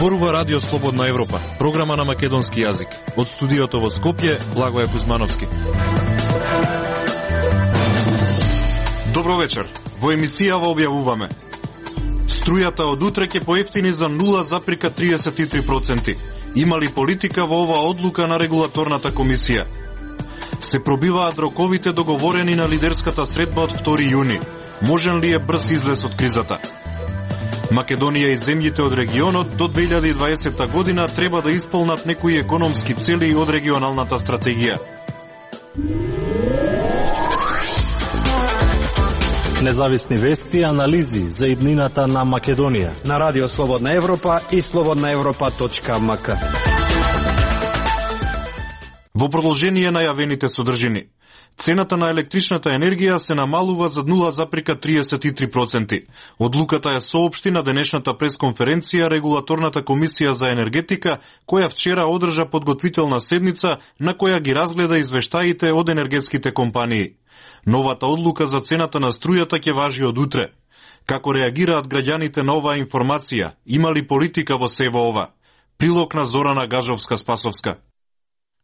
Зборува Радио Слободна Европа, програма на македонски јазик. Од студиото во Скопје, Благоја Кузмановски. Добро вечер. Во емисијава објавуваме: струјата од утре ќе поевтини за 0,33%. Има ли политика во оваа одлука на регулаторната комисија? Се пробиваат роковите договорени на лидерската средба од 2 јуни. Можен ли е брз излез од кризата? Македонија и земјите од регионот до 2020 година треба да исполнат некои економски цели од регионалната стратегија. Независни вести и анализи за иднината на Македонија на Радио Слободна Европа и slobodnaevropa.mk. Во продолжение на јавените содржини, цената на електричната енергија се намалува за 0,33%. Одлуката е соопшти на денешната пресконференција Регулаторната комисија за енергетика, која вчера одржа подготвителна седница на која ги разгледа извештаите од енергетските компании. Новата одлука за цената на струјата ќе важи од утре. Како реагираат граѓаните на оваа информација? Има ли политика во сево ова? Прилог на Зорана Гажовска-Спасовска.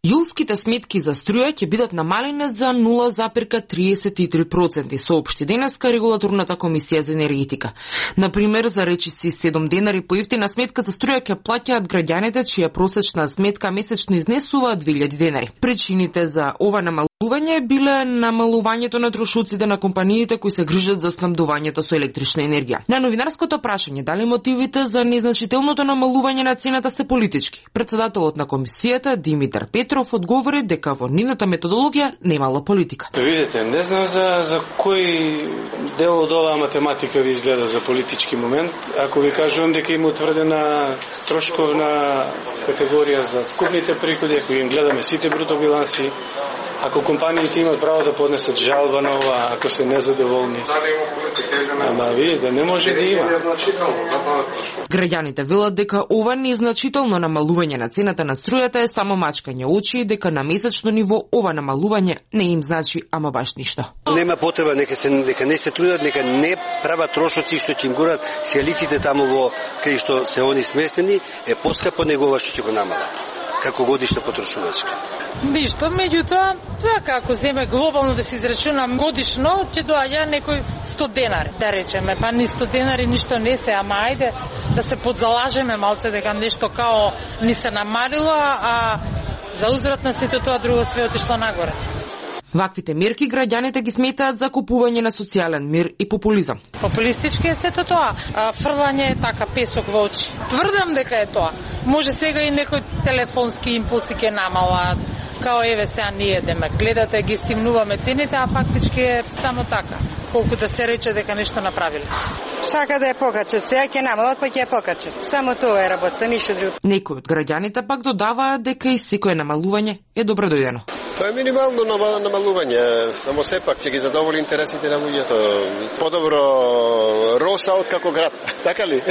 Јулските сметки за струја ќе бидат намалени за 0,33%, соопшти денеска Регулаторната комисија за енергетика. Например, за речиси 7 денари поевтина сметка за струја ќе плаќаат граѓаните чија просечна сметка месечно изнесува 2000 денари. Причините за ова намалување биле намалувањето на трошоците на компаниите кои се грижат за снабдувањето со електрична енергија. На новинарското прашање дали мотивите за незначителното намалување на цената се политички, председателот на комисијата Димитар Петров одговори дека во нивната методологија немало политика. Видите, не знам за кој дел од оваа математика ви изгледа за политички момент. Ако ви кажувам дека има утврдена трошковна категорија за вкупните приходи, ако им гледаме сите бруто биланси, ако компаниите имат право да поднесат жалба на ова, ако се незадоволни. Ама видите, не може да има. Граѓаните велат дека ова незначително намалување на цената на струјата е само мачкање очи и дека на месечно ниво ова намалување не им значи ама баш ништо. Нема потреба, нека не се трудат, нека не прават трошоци што ќе им горат сијалиците таму во кај што се они сместени, е поскапо него ова што ќе го намала како годишна потрошувачка. Ништо, меѓутоа, тоа како земе глобално да се израчунам годишно, ќе доаѓа некој 100 денари, да речеме, па ни 100 денари ништо не се, ама ајде да се подзалажеме малце дека нешто као ни се намалило, а за узврат на сето тоа друго све отишло нагоре. Ваквите мерки граѓаните ги сметаат за купување на социјален мир и популизам. Популистички е сето тоа, фрлање е така песок во очи. Тврдам дека е тоа. Може сега и некој телефонски импулси ќе намалат, као еве сега ние деме гледате, ги стимнуваме цените, а фактички е само така. Колку да се рече дека нешто направиле. Сака да ја покачат, сега ќе намалат, па ќе ја покачат. Само тоа е работа, ништо друго. Некои од граѓаните пак додаваат дека и секое намалување е добродојдено. Тоа е минимално намалување, само сепак ќе ги задоволи интересите на луѓето. Подобро Роса од како град, така ли?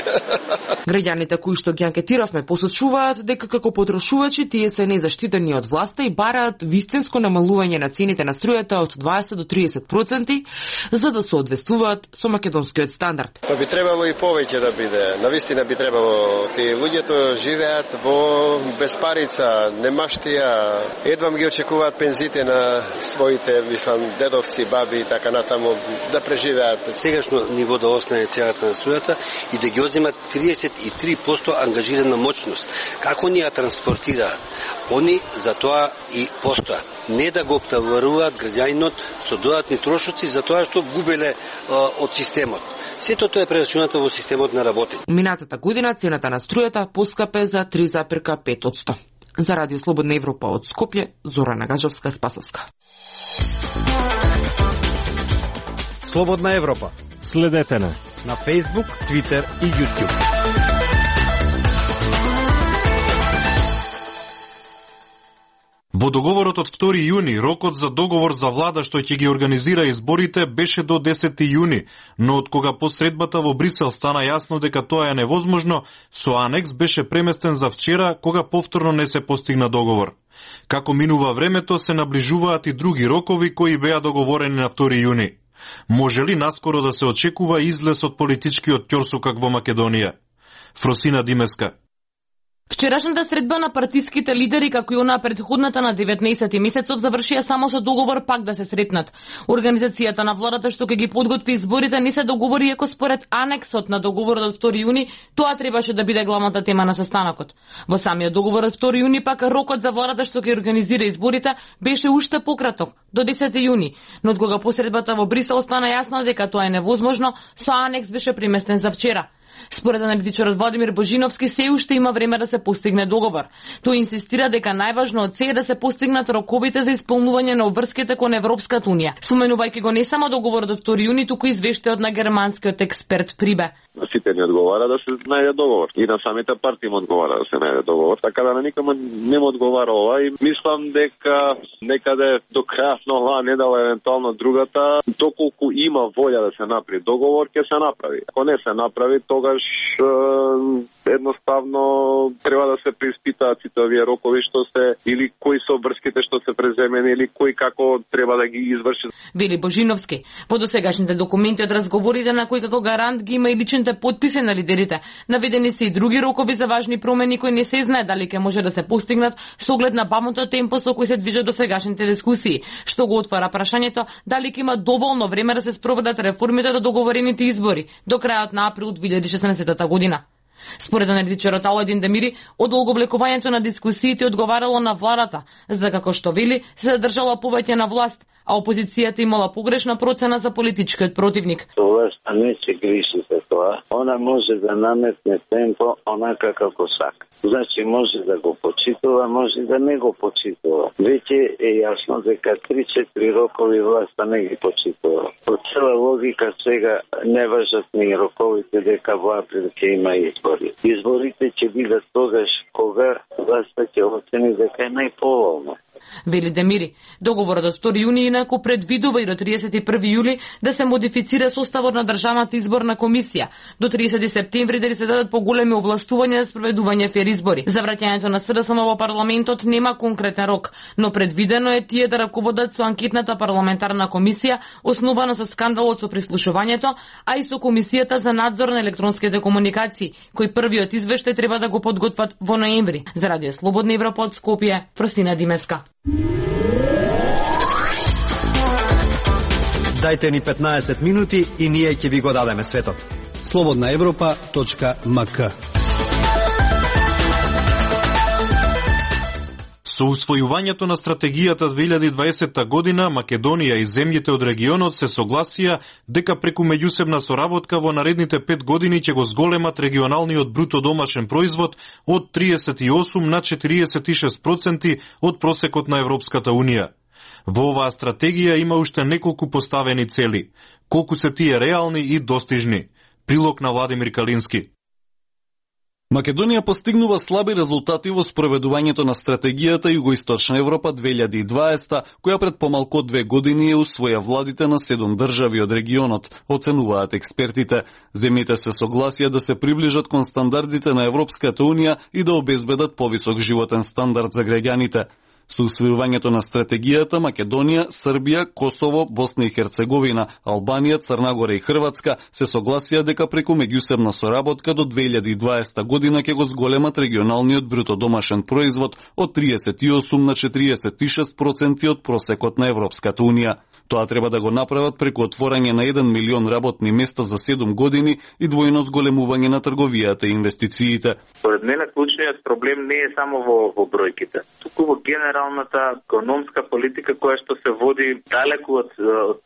Граѓаните кои што ги анкетиравме посочуваат дека како потрошувачи тие се незаштитени од власта и бараат вистинско намалување на цените на струјата од 20 до 30%, за да се одвестуваат со македонскиот стандард. Па би требало и повеќе да биде. Навистина би требало. Тие луѓето живеат во безпарица, немаштија, едвам ги очекуваат пензите на своите, мислам, дедовци, баби и така натаму да преживеат. Сегашно ниво да остане цената на струјата и да ги одземат 33% ангажирана моќност. Како ни ја транспортираат? Они за тоа и постојат. Не да го обтоваруваат граѓанинот со додатни трошоци за тоа што губеле од системот. Сето тоа е прерачунато во системот на работење. Минатата година цената на струјата поскапе за 3,5%. За Радио Слободна Европа од Скопје, Зорана Гажовска-Спасовска. Слободна Европа. Следете на Facebook, Twitter и YouTube. Во договорот од 2 јуни, рокот за договор за влада што ќе ги организира изборите беше до 10 јуни, но од кога посредбата во Брисел стана јасно дека тоа е невозможно, со анекс беше преместен за вчера, кога повторно не се постигна договор. Како минува времето, се наближуваат и други рокови кои беа договорени на 2 јуни. Може ли наскоро да се очекува излез од политичкиот ќорсокак во Македонија? Фросина Димеска. Вчерашната средба на партиските лидери, како и она предходната на 19 месецов, завршија само со договор пак да се сретнат. Организацијата на владата што ќе ги подготви изборите не се договори, иако според анексот на договорот од 2 јуни, тоа требаше да биде главната тема на состанокот. Во самиот договор од 2 јуни пак рокот за владата што ќе организира изборите беше уште пократок, до 10 јуни, но од кога посредбата во Брисел стана јасно дека тоа е невозможно, со анекс беше преместен за вчера. Според аналитичарот Владимир Божиновски, се уште има време да се постигне договор. Тој инсистира дека најважно од се е да се постигнат роковите за исполнување на обврските кон Европската унија, споменувајќи го не само договорот од 2 јуни, туку и извештајот на германскиот експерт Прибе. На сите ни одговара да се најде договор. И на самите партии му одговара да се најде договор. Така да на никому не му одговара ова и мислам дека некаде до крајот на оваа недела, евентуално другата, доколку има волја да се направи договор, ќе се направи. Ако не се направи, тогаш едноставно треба да се преиспитаат сите овие рокови што се, или кои се обврските што се преземени, или кои како треба да ги изврши. Вели Божиновски, по досегашните документи од разговорите на кои како гарант ги има и личните потписи на лидерите, наведени се и други рокови за важни промени кои не се знае дали ќе може да се постигнат со оглед на бавното темпо со кој се движат досегашните дискусии, што го отвара прашањето дали ќе има доволно време да се спроведат реформите до договорените избори до крајот на април 2016 година. Според аналитичарот Аладин Демири, одолговлекувањето на дискусиите одговарало на владата, за како што вели, се задржала повеќе на власт, а опозицијата имала погрешна процена за политичкиот противник. Власта не се грижи за тоа. Она може да наметне темпо онака како сака. Значи може да го почитува, може да не го почитува. Веќе е јасно дека 3-4 рокови власта не ги почитува. По цела логика сега не важат ни роковите дека во април ќе има избори. Изборите ќе бидат тогаш кога власта ќе оцени дека е најповолно. Вели Демири, договорот од 2 јуни инаку предвидува и до 31 јули да се модифицира составот на Државната изборна комисија, до 30 септември да се дадат поголеми овластувања за спроведување фер избори. За враќањето на СДСМ во парламентот нема конкретен рок, но предвидено е тие да раководат со анкетната парламентарна комисија, основана со скандалот со прислушувањето, а и со комисијата за надзор на електронските комуникации, кој првиот извештај треба да го подготват во ноември. За Радио Слободна Европа од Скопје, Фросина Димеска. Дајте ни 15 минути и ние ќе ви го дадеме светот. slobodnaevropa.mk. Со усвојувањето на стратегијата 2020 година, Македонија и земјите од регионот се согласија дека преку меѓусебна соработка во наредните 5 години ќе го зголемат регионалниот бруто домашен производ од 38 на 46% од просекот на Европската Унија. Во оваа стратегија има уште неколку поставени цели. Колку се тие реални и достижни? Прилог на Владимир Калински. Македонија постигнува слаби резултати во спроведувањето на стратегијата Југоисточна Европа 2020, која пред помалку од 2 години е усвоја владите на 7 држави од регионот, оценуваат експертите. Земјите се согласија да се приближат кон стандардите на Европската Унија и да обезбедат повисок животен стандард за граѓаните. Со усвојувањето на стратегијата Македонија, Србија, Косово, Босна и Херцеговина, Албанија, Црна Гора и Хрватска се согласија дека преку меѓусебна соработка до 2020 година ќе го зголемат регионалниот бруто домашен производ од 38 на 46% од просекот на Европската Унија. Тоа треба да го направат преку отворање на 1 милион работни места за 7 години и двојно зголемување на трговијата и инвестициите. Според мене клучниот проблем не е само во бројките, туку во генералната економска политика која што се води далеку од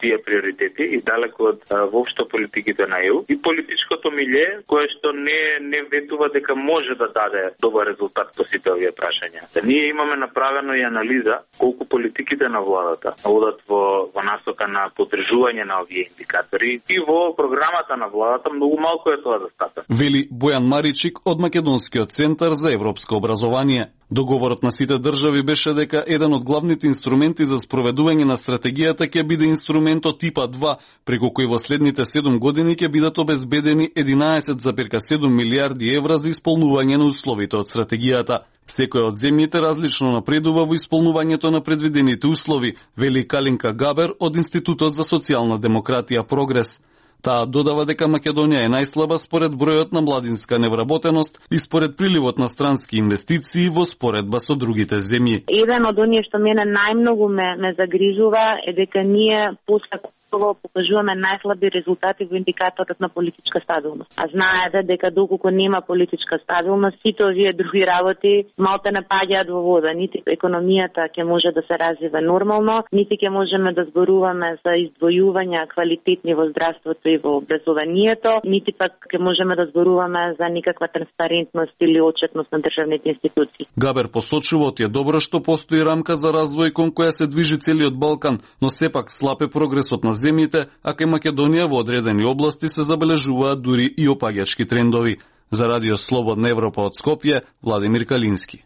тие приоритети и далеку од воопшто политиките на ЕУ и политичкото милје кое што не ветува дека може да даде добар резултат по сите овие прашања. Ние имаме направено и анализа колку политиките на владата одат во насока на поддржување на овие индикатори и во програмата на владата многу малку е тоа застапено. Вели Бојан Маричик од Македонскиот центар за европско образование. Договорот на сите држави беше дека еден од главните инструменти за спроведување на стратегијата ќе биде инструментот ИПА 2, преку кој во следните 7 години ќе бидат обезбедени 11,7 милиарди евра за исполнување на условите од стратегијата. Секоја од земјите различно напредува во исполнувањето на предвидените услови, вели Калинка Габер од Институтот за социјална демократија Прогрес. Таа додава дека Македонија е најслаба според бројот на младинска невработеност и според приливот на странски инвестиции во споредба со другите земји. Еден од оние што мене најмногу ме загрижува е дека ние после покажуваме најслаби резултати во индикаторот на политичка стабилност. А знаете дека доколку нема политичка стабилност, сите овие други работи малте не паѓаат во вода. Нити економијата ќе може да се развива нормално, нити ќе можеме да зборуваме за издвојување квалитетни во здравството и во образованието, нити пак ќе можеме да зборуваме за никаква транспарентност или отчетност на државните институции. Габер посочува е добро што постои рамка за развој кон која се движи целиот Балкан, но сепак слаб е прогресот на земјите, а кај Македонија во одредени области се забележуваат дури и опаѓачки трендови. За Радио Слободна Европа од Скопје, Владимир Калински.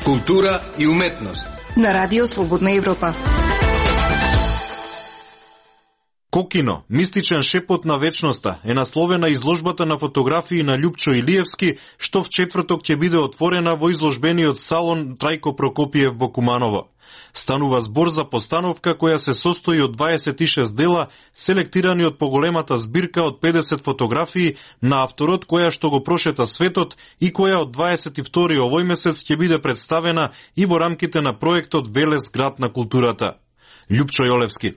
Култура и уметност на Радио Слободна Европа. Кокино, мистичен шепот на вечноста, е насловена изложбата на фотографии на Љупчо Илиевски, што в четврток ќе биде отворена во изложбениот салон Трајко Прокопиев во Куманово. Станува збор за постановка која се состои од 26 дела, селектирани од поголемата збирка од 50 фотографии на авторот која што го прошета светот и која од 22 овој месец ќе биде представена и во рамките на проектот Велес град на културата. Љупчо Јолевски.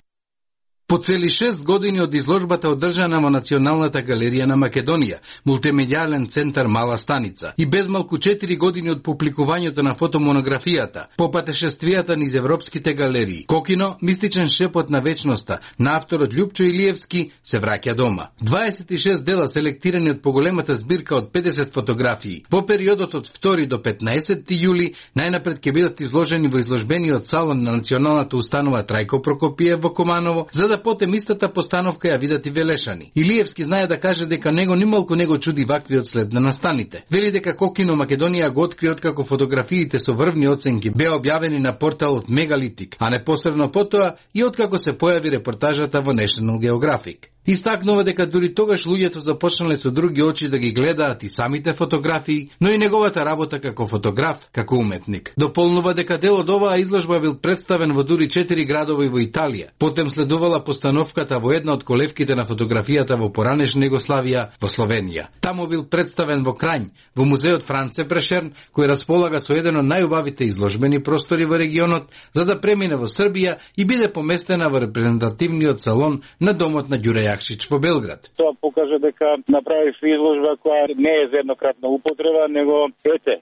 По цели 6 години од изложбата одржана во Националната галерија на Македонија, мултимедијален центар Мала Станица, и без малку 4 години од публикувањето на фотомонографијата, по патешествијата низ европските галерии, Кокино, мистичен шепот на вечноста, на авторот Љупчо Илиевски, се враќа дома. 26 дела селектирани од поголемата збирка од 50 фотографии. По периодот од 2 до 15 јули, најнапред ќе бидат изложени во изложбениот салон на Националната установа Трајко Прокопиев во Куманово, за да потем истата постановка ја видат и Велешани. Илиевски знае да каже дека него нималку него чуди ваквиот след на настаните. Вели дека Кокино Македонија го откри откако фотографиите со врвни оценки беа објавени на порталот Мегалитик, а непосредно потоа и откако се појави репортажата во National Geographic. Истакнува дека дури тогаш луѓето започнале со други очи да ги гледаат и самите фотографии, но и неговата работа како фотограф, како уметник. Дополнува дека дел од оваа изложба бил представен во дури 4 градови во Италија. Потем следувала постановката во една од колевките на фотографијата во поранешна Југославија, во Словенија. Таму бил представен во Крањ, во музеот Франце Прешерн, кој располага со еден од најубавите изложбени простори во регионот, за да премине во Србија и биде поместена во репрезентативниот салон на домот на Ѓуре Јакшич во Белград. Тоа покажа дека направив изложба која не е за еднократна употреба, него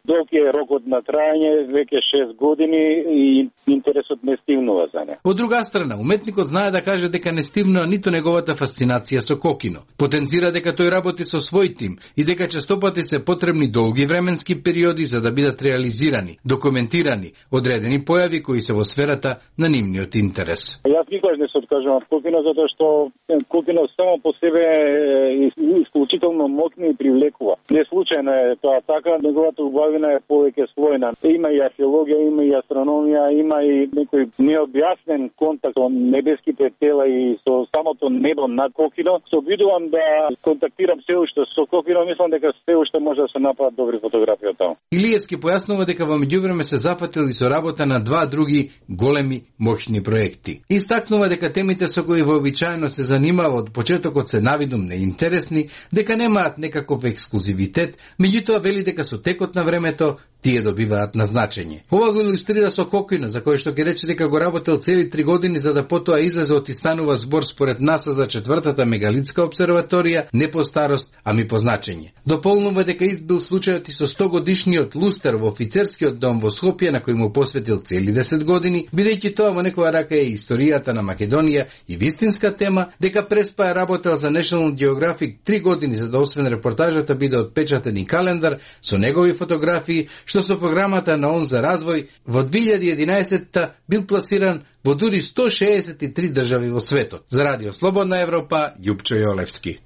долг е рокот на трајање, веќе 6 години и интересот не стивнува за неа. Од друга страна, уметникот знае да каже дека не стивнува ниту неговата фасцинација со Кокино. Потенцира дека тој работи со свој тим и дека честопати се потребни долги временски периоди за да бидат реализирани, документирани одредени појави кои се во сферата на нивниот интерес. Јас никогаш не се откажувам од Кокино затоа што Кокино само по себе е исклучително моќно и привлекува. Не случајно е тоа така, неговата убавина е повеќе слојна. Има и археологија, има и астрономија, има и некој необјаснен контакт со небеските тела и со самото небо над Кокино. Се обидувам да контактирам се уште со Кокино, мислам дека се уште може да се направат добри фотографии од таму. Илиевски појаснува дека во меѓувреме се зафатил и со работа на 2 други големи моќни проекти. Истакнува дека темите со кои вообичаено се занимава од почетокот се навидум неинтересни, дека немаат некаков ексклузивитет, меѓутоа вели дека со текот на времето тие добиваат на значење. Ова го илустрира со Кокино, за кој што ќе рече дека го работел цели 3 години за да потоа излезе од и станува збор според НАСА за 4-та мегалитска обсерваторија, не по старост, ами по значење. Дополнува дека избил случајот и со 100 годишниот лустер во офицерскиот дом во Скопје, на кој му посветил цели 10 години, бидејќи тоа во некоја рака е историјата на Македонија и вистинска тема, дека преспа е работел за National Geographic 3 години за да освен репортажата биде отпечатен и календар со негови фотографии, што со програмата на ООН за развој во 2011 бил пласиран во дури 163 држави во светот. За Радио Слободна Европа, Љупчо Јолевски.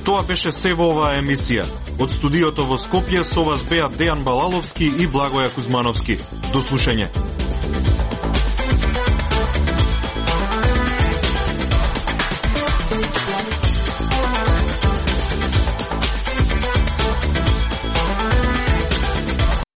Тоа беше се во оваа емисија. Од студиото во Скопје со вас беа Дејан Балаловски и Благоја Кузмановски. До слушање.